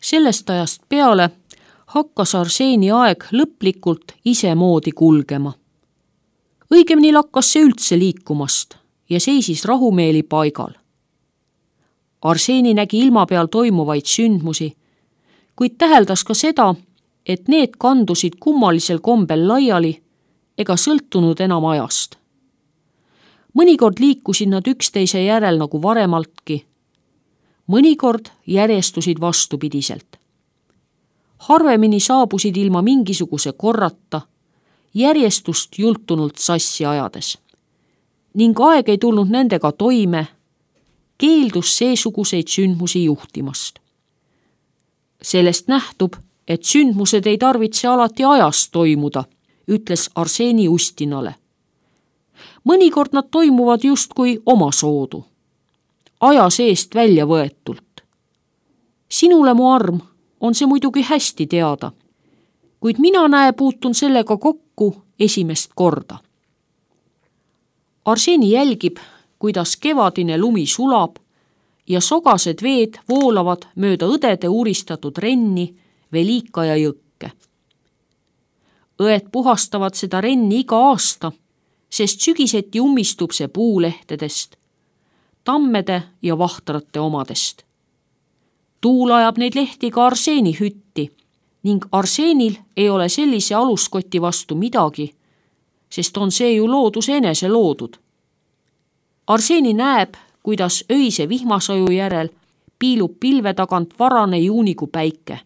Sellest ajast peale hakkas Arseeni aeg lõplikult isemoodi kulgema. Õigemini lakkas see üldse liikumast ja seisis rahumeeli paigal. Arseeni nägi ilma peal toimuvaid sündmusi, kuid täheldas ka seda, et need kandusid kummalisel kombel laiali ega sõltunud enam ajast. Mõnikord liikusid nad üksteise järel nagu varemaltki, mõnikord järjestusid vastupidiselt. Harvemini saabusid ilma mingisuguse korrata, järjestust jultunult sassi ajades. Ning aeg ei tulnud nendega toime, keeldus seesuguseid sündmusi juhtimast. Sellest nähtub, et sündmused ei tarvitse alati ajas toimuda, ütles Arseeni Ustinale. Mõnikord nad toimuvad justkui omasoodu, aja seest välja võetult. Sinule, mu arm, on see muidugi hästi teada, kuid mina puutun sellega kokku esimest korda. Arseeni jälgib, kuidas kevadine lumi sulab ja sogased veed voolavad mööda õdede uristatud renni Velika ja jõkke. Õed puhastavad seda renni iga aasta, sest sügiseti ummistub see puulehtedest, tammede ja vahtrate omadest. Tuul ajab neid lehti ka Arseeni hütti ning Arseenil ei ole sellise aluskoti vastu midagi, sest on see ju looduse enese loodud. Arseeni näeb, kuidas öise vihmasaju järel piilub pilve tagant varane juunikuu päike.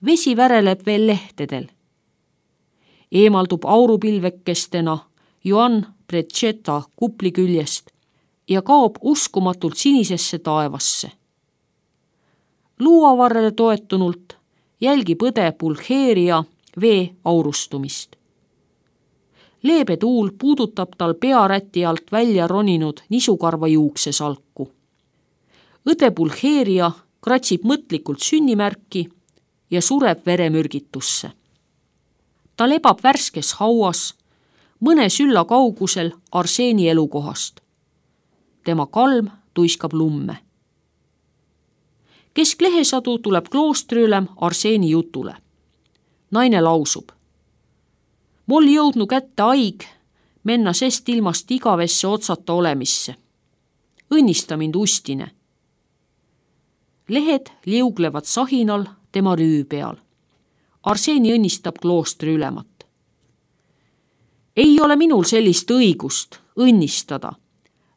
Vesi väreleb veel lehtedel. Eemaldub aurupilvekestena Joan Precetta kupli küljest ja kaob uskumatult sinisesse taevasse. Luuavarrele toetunult jälgib õde Pulcheria vee aurustumist. Leebe tuul puudutab tal pearäti alt välja roninud nisukarva juuksesalku. Õde Pulcheria kratsib mõtlikult sünnimärki ja sureb veremürgitusse. Ta lebab värskes hauas, mõne sülla kaugusel Arseeni elukohast. Tema kalm tuiskab lumme. Kesklehesadu tuleb kloostriülem Arseeni jutule. Naine lausub. Mul jõudnu kätte aig menna sest ilmast igavesse otsata olemisse. Õnnista mind, Ustine. Lehed liuglevad sahinal tema rüü peal. Arseeni õnnistab kloostri ülemat. Ei ole minul sellist õigust õnnistada,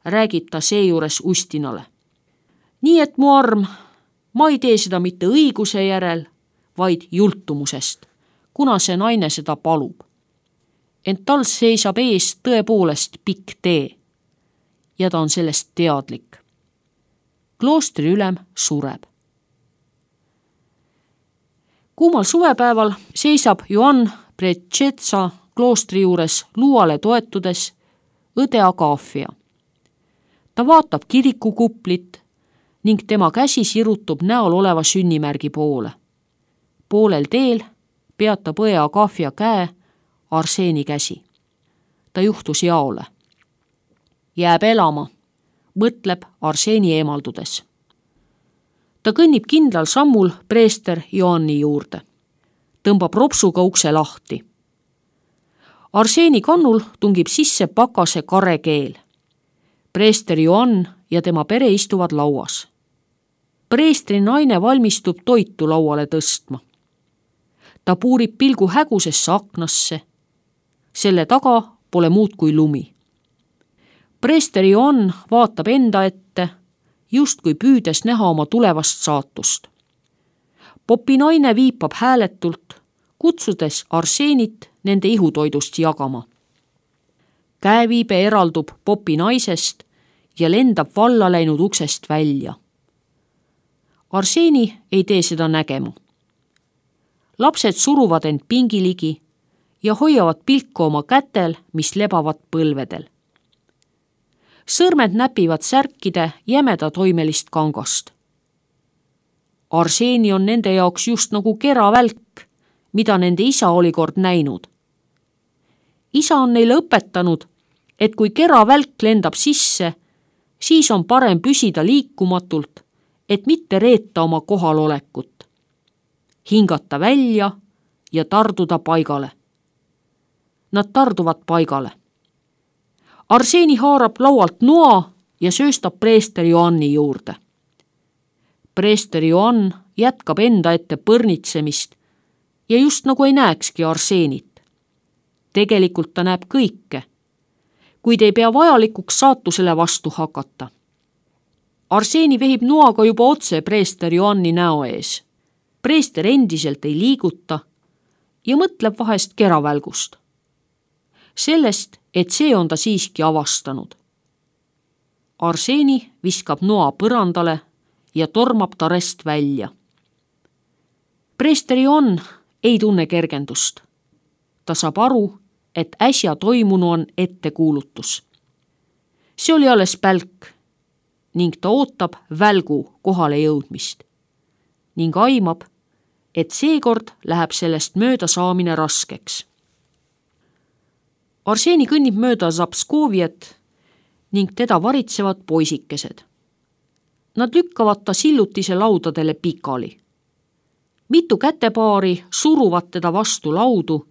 räägib ta seejuures Ustinale. Nii et, mu arm, ma ei tee seda mitte õiguse järel, vaid jultumusest, kuna see naine seda palub. Ent tal seisab ees tõepoolest pikk tee ja ta on sellest teadlik. Kloostri ülem sureb. Kuumal suvepäeval seisab Joan Precetsa kloostri juures luuale toetudes õde Agafia. Ta vaatab kirikukuplit ning tema käsi sirutub näol oleva sünnimärgi poole. Poolel teel peatab õe Agafia käe Arseeni käsi. Ta juhtus jaole. Jääb elama, mõtleb Arseeni eemaldudes. Ta kõnnib kindlal sammul preester Joanni juurde. Tõmbab ropsuga ukse lahti. Arseeni kannul tungib sisse pakase karekeel. Preester Joann ja tema pere istuvad lauas. Preestri naine valmistub toitu lauale tõstma. Ta puurib pilgu hägusesse aknasse. Selle taga pole muud kui lumi. Preester Joann vaatab enda ette, justkui püüdes näha oma tulevast saatust. Popi naine viipab hääletult, kutsudes Arseenit nende ihutoidust jagama. Käeviibe eraldub Popi naisest ja lendab valla läinud uksest välja. Arseeni ei tee seda nägema. Lapsed suruvad end pingiligi ja hoiavad pilku oma kätel, mis lebavad põlvedel. Sõrmed näpivad särkide jämeda toimelist kangast. Arseeni on nende jaoks just nagu keravälk, mida nende isa oli kord näinud. Isa on neile õpetanud, et kui keravälk lendab sisse, siis on parem püsida liikumatult, et mitte reeta oma kohalolekut. hingata välja ja tarduda paigale. Nad tarduvad paigale. Arseni haarab laualt noa ja sööstab preester Joanni juurde. Preester Joann jätkab enda ette põrnitsemist ja just nagu ei näekski Arsenit. Tegelikult ta näeb kõike, kuid ei pea vajalikuks saatusele vastu hakata. Arseni vehib noaga juba otse preester Joanni näo ees. Preester endiselt ei liiguta ja mõtleb vahest keravälgust. Sellest, et see on ta siiski avastanud. Arseni viskab noa põrandale ja tormab tarest välja. Preester Joann ei tunne kergendust. Ta saab aru, et äsja toimunu on ettekuulutus. See oli alles pälk ning ta ootab välgu kohale jõudmist ning aimab, et seekord läheb sellest mööda saamine raskeks. Arseni kõnnib mööda Zapskoviet ning teda varitsevad poisikesed. Nad lükkavad ta sillutise laudadele pikali. Mitu kätepaari suruvad teda vastu laudu,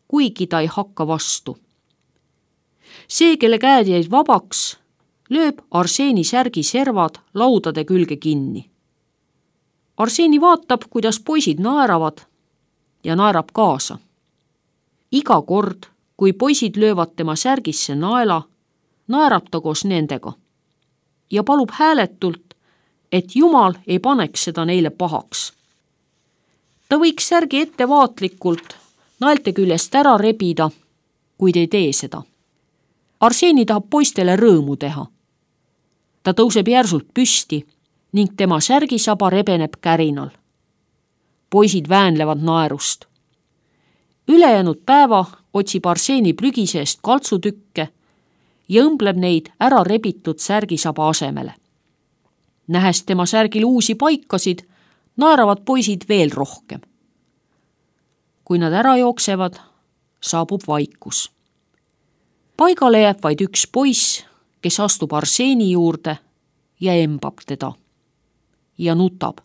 kuigi ta ei hakka vastu. See, kelle käed jäid vabaks, lööb Arseni särgi servad laudade külge kinni. Arseni vaatab, kuidas poisid naeravad ja naerab kaasa. Iga kord, kui poisid löövad tema särgisse naela, naerab ta koos nendega ja palub hääletult, et Jumal ei paneks seda neile pahaks. Ta võiks särgi ettevaatlikult naelte küljest ära rebida, kuid ei tee seda. Arseni tahab poistele rõõmu teha. Ta tõuseb järsult püsti ning tema särgisaba rebeneb kärinal. Poisid väänlevad naerust. Ülejäänud päeva otsib Arseni prügi seest kaltsutükke ja õmbleb neid ära rebitud särgisaba asemele. Nähes tema särgil uusi paikasid, naeravad poisid veel rohkem. Kui nad ära jooksevad, saabub vaikus. Paigale jääb vaid üks poiss, kes astub Arseni juurde ja embab teda ja nutab.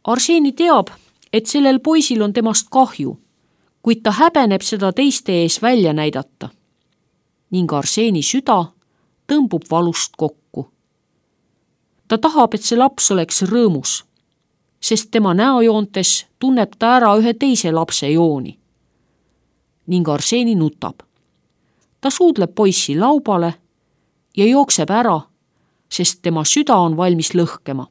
Arseni teab, et sellel poisil on temast kahju, kuid ta häbeneb seda teiste ees välja näidata. Ning Arseni süda tõmbub valust kokku. Ta tahab, et see laps oleks rõõmus, sest tema näojoontes tunneb ta ära ühe teise lapse jooni. Ning Arseni nutab. Ta suudleb poissi laubale ja jookseb ära, sest tema süda on valmis lõhkema.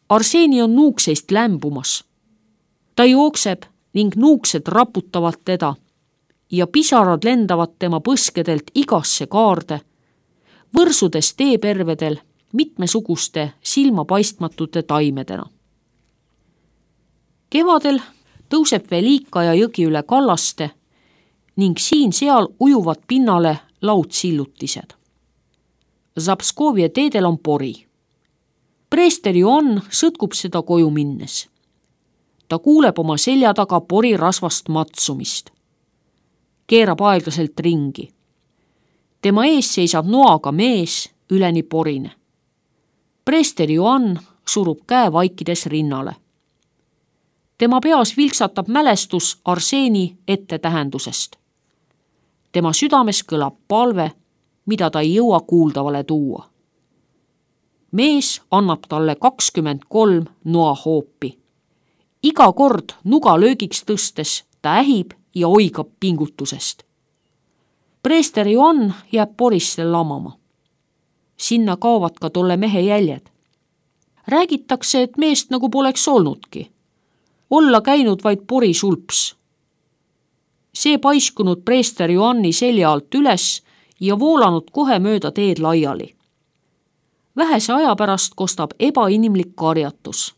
Arseni on nuukseist lämbumas. Ta jookseb ning nuuksed raputavad teda ja pisarad lendavad tema põskedelt igasse kaarde, võrsudes teepervedel mitmesuguste silmapaistmatute taimedena. Kevadel tõuseb Velikaja jõgi üle kallaste ning siin-seal ujuvad pinnale laudsillutised. Zapskovia teedel on pori. Preester Joann sõtkub seda koju minnes. Ta kuuleb oma selja taga pori rasvast matsumist. Keerab aeglaselt ringi. Tema ees seisab noaga mees, üleni porine. Preester Joann surub käe vaikides rinnale. Tema peas vilksatab mälestus Arseni ettetähendusest. Tema südames kõlab palve, mida ta ei jõua kuuldavale tuua. Mees annab talle 23 noahoopi. Iga kord nuga löögiks tõstes ta ähib ja oigab pingutusest. Preester Joann jääb porisse lamama. Sinna kaovad ka tolle mehe jäljed. Räägitakse, et meest nagu poleks olnudki. Olla käinud vaid pori sulps. See paiskunud preester Joanni selja alt üles ja voolanud kohe mööda teed laiali. Vähese aja pärast kostab ebainimlik karjatus.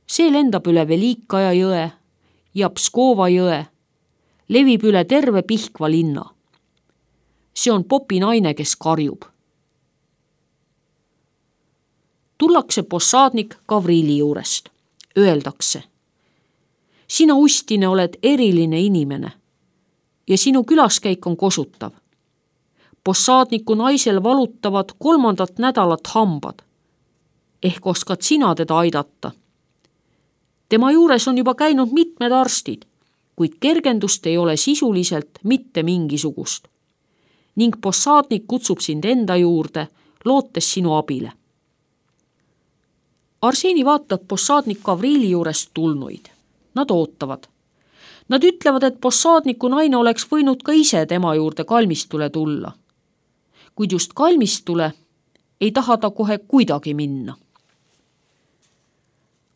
See lendab üle Velikaja jõe ja Pskova jõe, levib üle terve Pihkva linna. See on popi naine, kes karjub. Tullakse possaadnik Gavrili juurest. Öeldakse: sina, Ustine, oled eriline inimene ja sinu külaskäik on kosutav. Possaadniku naisel valutavad 3. nädalat hambad. ehk oskad sina teda aidata. Tema juures on juba käinud mitmed arstid, kuid kergendust ei ole sisuliselt mitte mingisugust. Ning possaadnik kutsub sind enda juurde, lootes sinu abile. Arseni vaatab possaadnik Gavriili juurest tulnuid. Nad ootavad. Nad ütlevad, et possaadniku naine oleks võinud ka ise tema juurde kalmistule tulla. Kuid just kalmistule ei taha ta kohe kuidagi minna.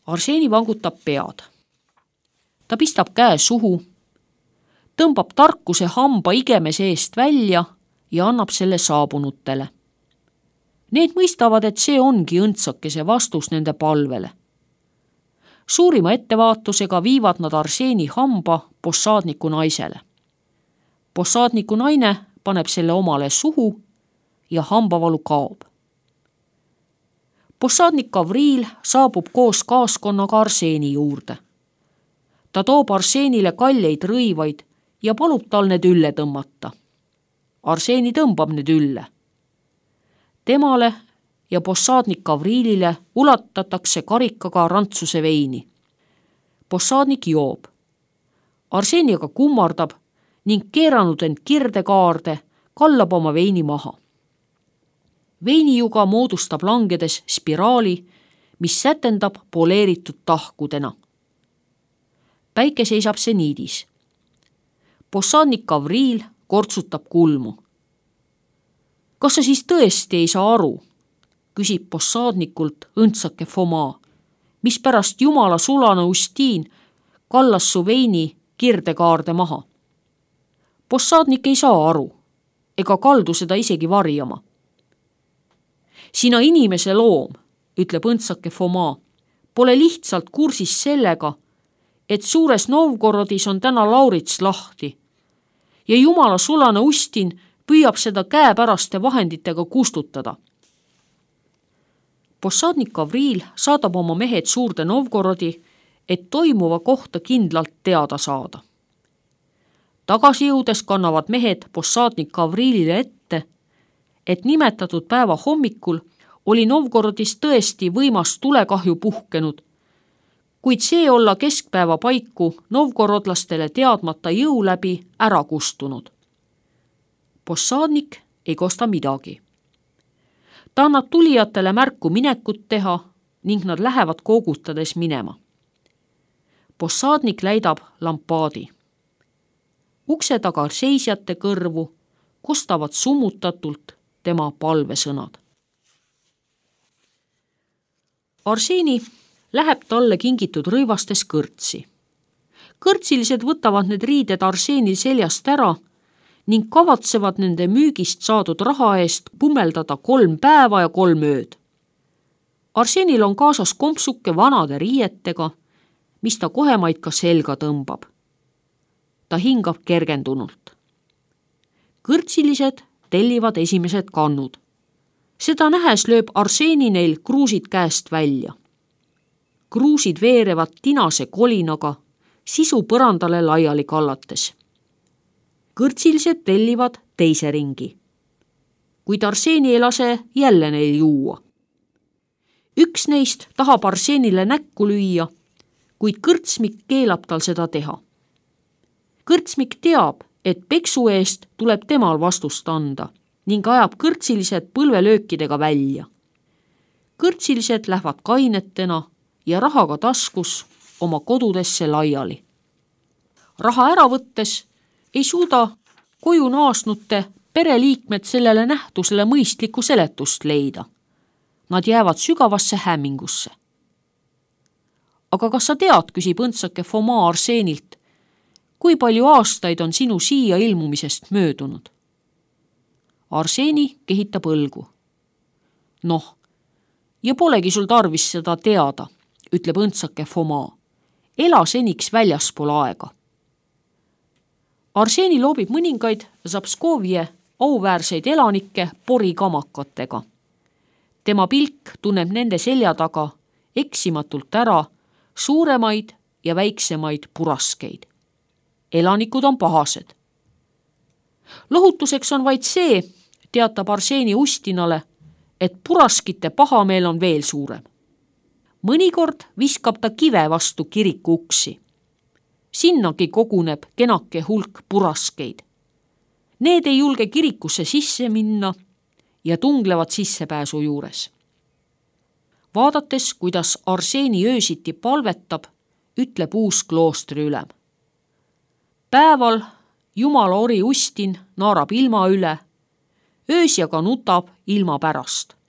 Arseni vangutab pead. Ta pistab käe suhu, tõmbab tarkuse hamba igemese eest välja ja annab selle saabunutele. Need mõistavad, et see ongi õndsakese vastus nende palvele. Suurima ettevaatusega viivad nad Arseni hamba possaadniku naisele. Possaadniku naine paneb selle omale suhu ja hambavalu kaob. Possaadnik Gavriil saabub koos kaaskonnaga Arseni juurde. Ta toob Arsenile kalleid rõivaid ja palub tal need ülle tõmmata. Arseni tõmbab need ülle. Temale ja possaadnik Gavriilile ulatatakse karikaga rantsuse veini. Possaadnik joob. Arseni aga kummardab ning keeranud end kirdekaarde, kallab oma veini maha. Veinijuga moodustab langedes spiraali, mis sätendab poleeritud tahkudena. Päike seisab seniidis. Possaadnik Gavriil kortsutab kulmu. Kas sa siis tõesti ei saa aru, küsib possaadnikult õndsake Foma, mispärast Jumala sulane Ustiin kallas su veini kirdekaarde maha. Possaadnik ei saa aru, ega kaldu seda isegi varjama. Sina inimese loom, ütleb õndsake Foma, pole lihtsalt kursis sellega, et suures Novgorodis on täna Laurits lahti ja Jumala sulane Ustin püüab seda käepäraste vahenditega kustutada. Possaadnik Gavriil saadab oma mehed suurde Novgorodi, et toimuva kohta kindlalt teada saada. Tagasi jõudes kannavad mehed possaadnik Gavriilile ette, et nimetatud päeva hommikul oli Novgorodis tõesti võimas tulekahju puhkenud, kuid see olla keskpäeva paiku novgorodlastele teadmata jõu läbi ära kustunud. Possaadnik ei kosta midagi. Ta annab tulijatele märku minekut teha ning nad lähevad koogutades minema. Possaadnik läidab lampaadi. Ukse taga seisjate kõrvu kostavad summutatult tema palvesõnad. Arseni läheb talle kingitud rõivastes kõrtsi. Kõrtsilised võtavad need riided Arsenil seljast ära ning kavatsevad nende müügist saadud raha eest pummeldada 3 päeva ja 3 ööd. Arsenil on kaasas kompsuke vanade riietega, mis ta kohemaid ka selga tõmbab. Ta hingab kergendunult. Kõrtsilised tellivad esimesed kannud. Seda nähes lööb Arseni neil kruusid käest välja. Kruusid veerevad tinase kolinaga, sisu põrandale laiali kallates. Kõrtsilised tellivad teise ringi. Kuid Arseni ei lase jälle neil juua. Üks neist tahab Arsenile näkku lüüa, kuid kõrtsmik keelab tal seda teha. Kõrtsmik teab, et peksu eest tuleb temal vastust anda ning ajab kõrtsilised põlvelöökidega välja. Kõrtsilised lähevad kainetena ja rahaga taskus oma kodudesse laiali. Raha ära võttes ei suuda koju naasnute pereliikmed sellele nähtusele mõistlikku seletust leida. Nad jäävad sügavasse hämmingusse. Aga kas sa tead, küsib õndsake Foma Arsenilt, kui palju aastaid on sinu siia ilmumisest möödunud? Arseni kehitab õlgu. Noh, ja polegi sul tarvis seda teada, ütleb õndsake Foma. Ela seniks väljaspool aega. Arseni loobib mõningaid Zapskovje auväärseid elanikke porikamakatega. Tema pilk tunneb nende selja taga eksimatult ära suuremaid ja väiksemaid puraskeid. Elanikud on pahased. Lohutuseks on vaid see, teatab Arseni Ustinale, et puraskite pahameel on veel suurem. Mõnikord viskab ta kive vastu kiriku uksi. Sinnagi koguneb kenake hulk puraskeid. Need ei julge kirikusse sisse minna ja tunglevad sissepääsu juures. Vaadates, kuidas Arseeni öösiti palvetab, ütleb uus kloostri ülem. Päeval Jumala ori Ustin naarab ilma üle, öösjaga nutab ilma pärast.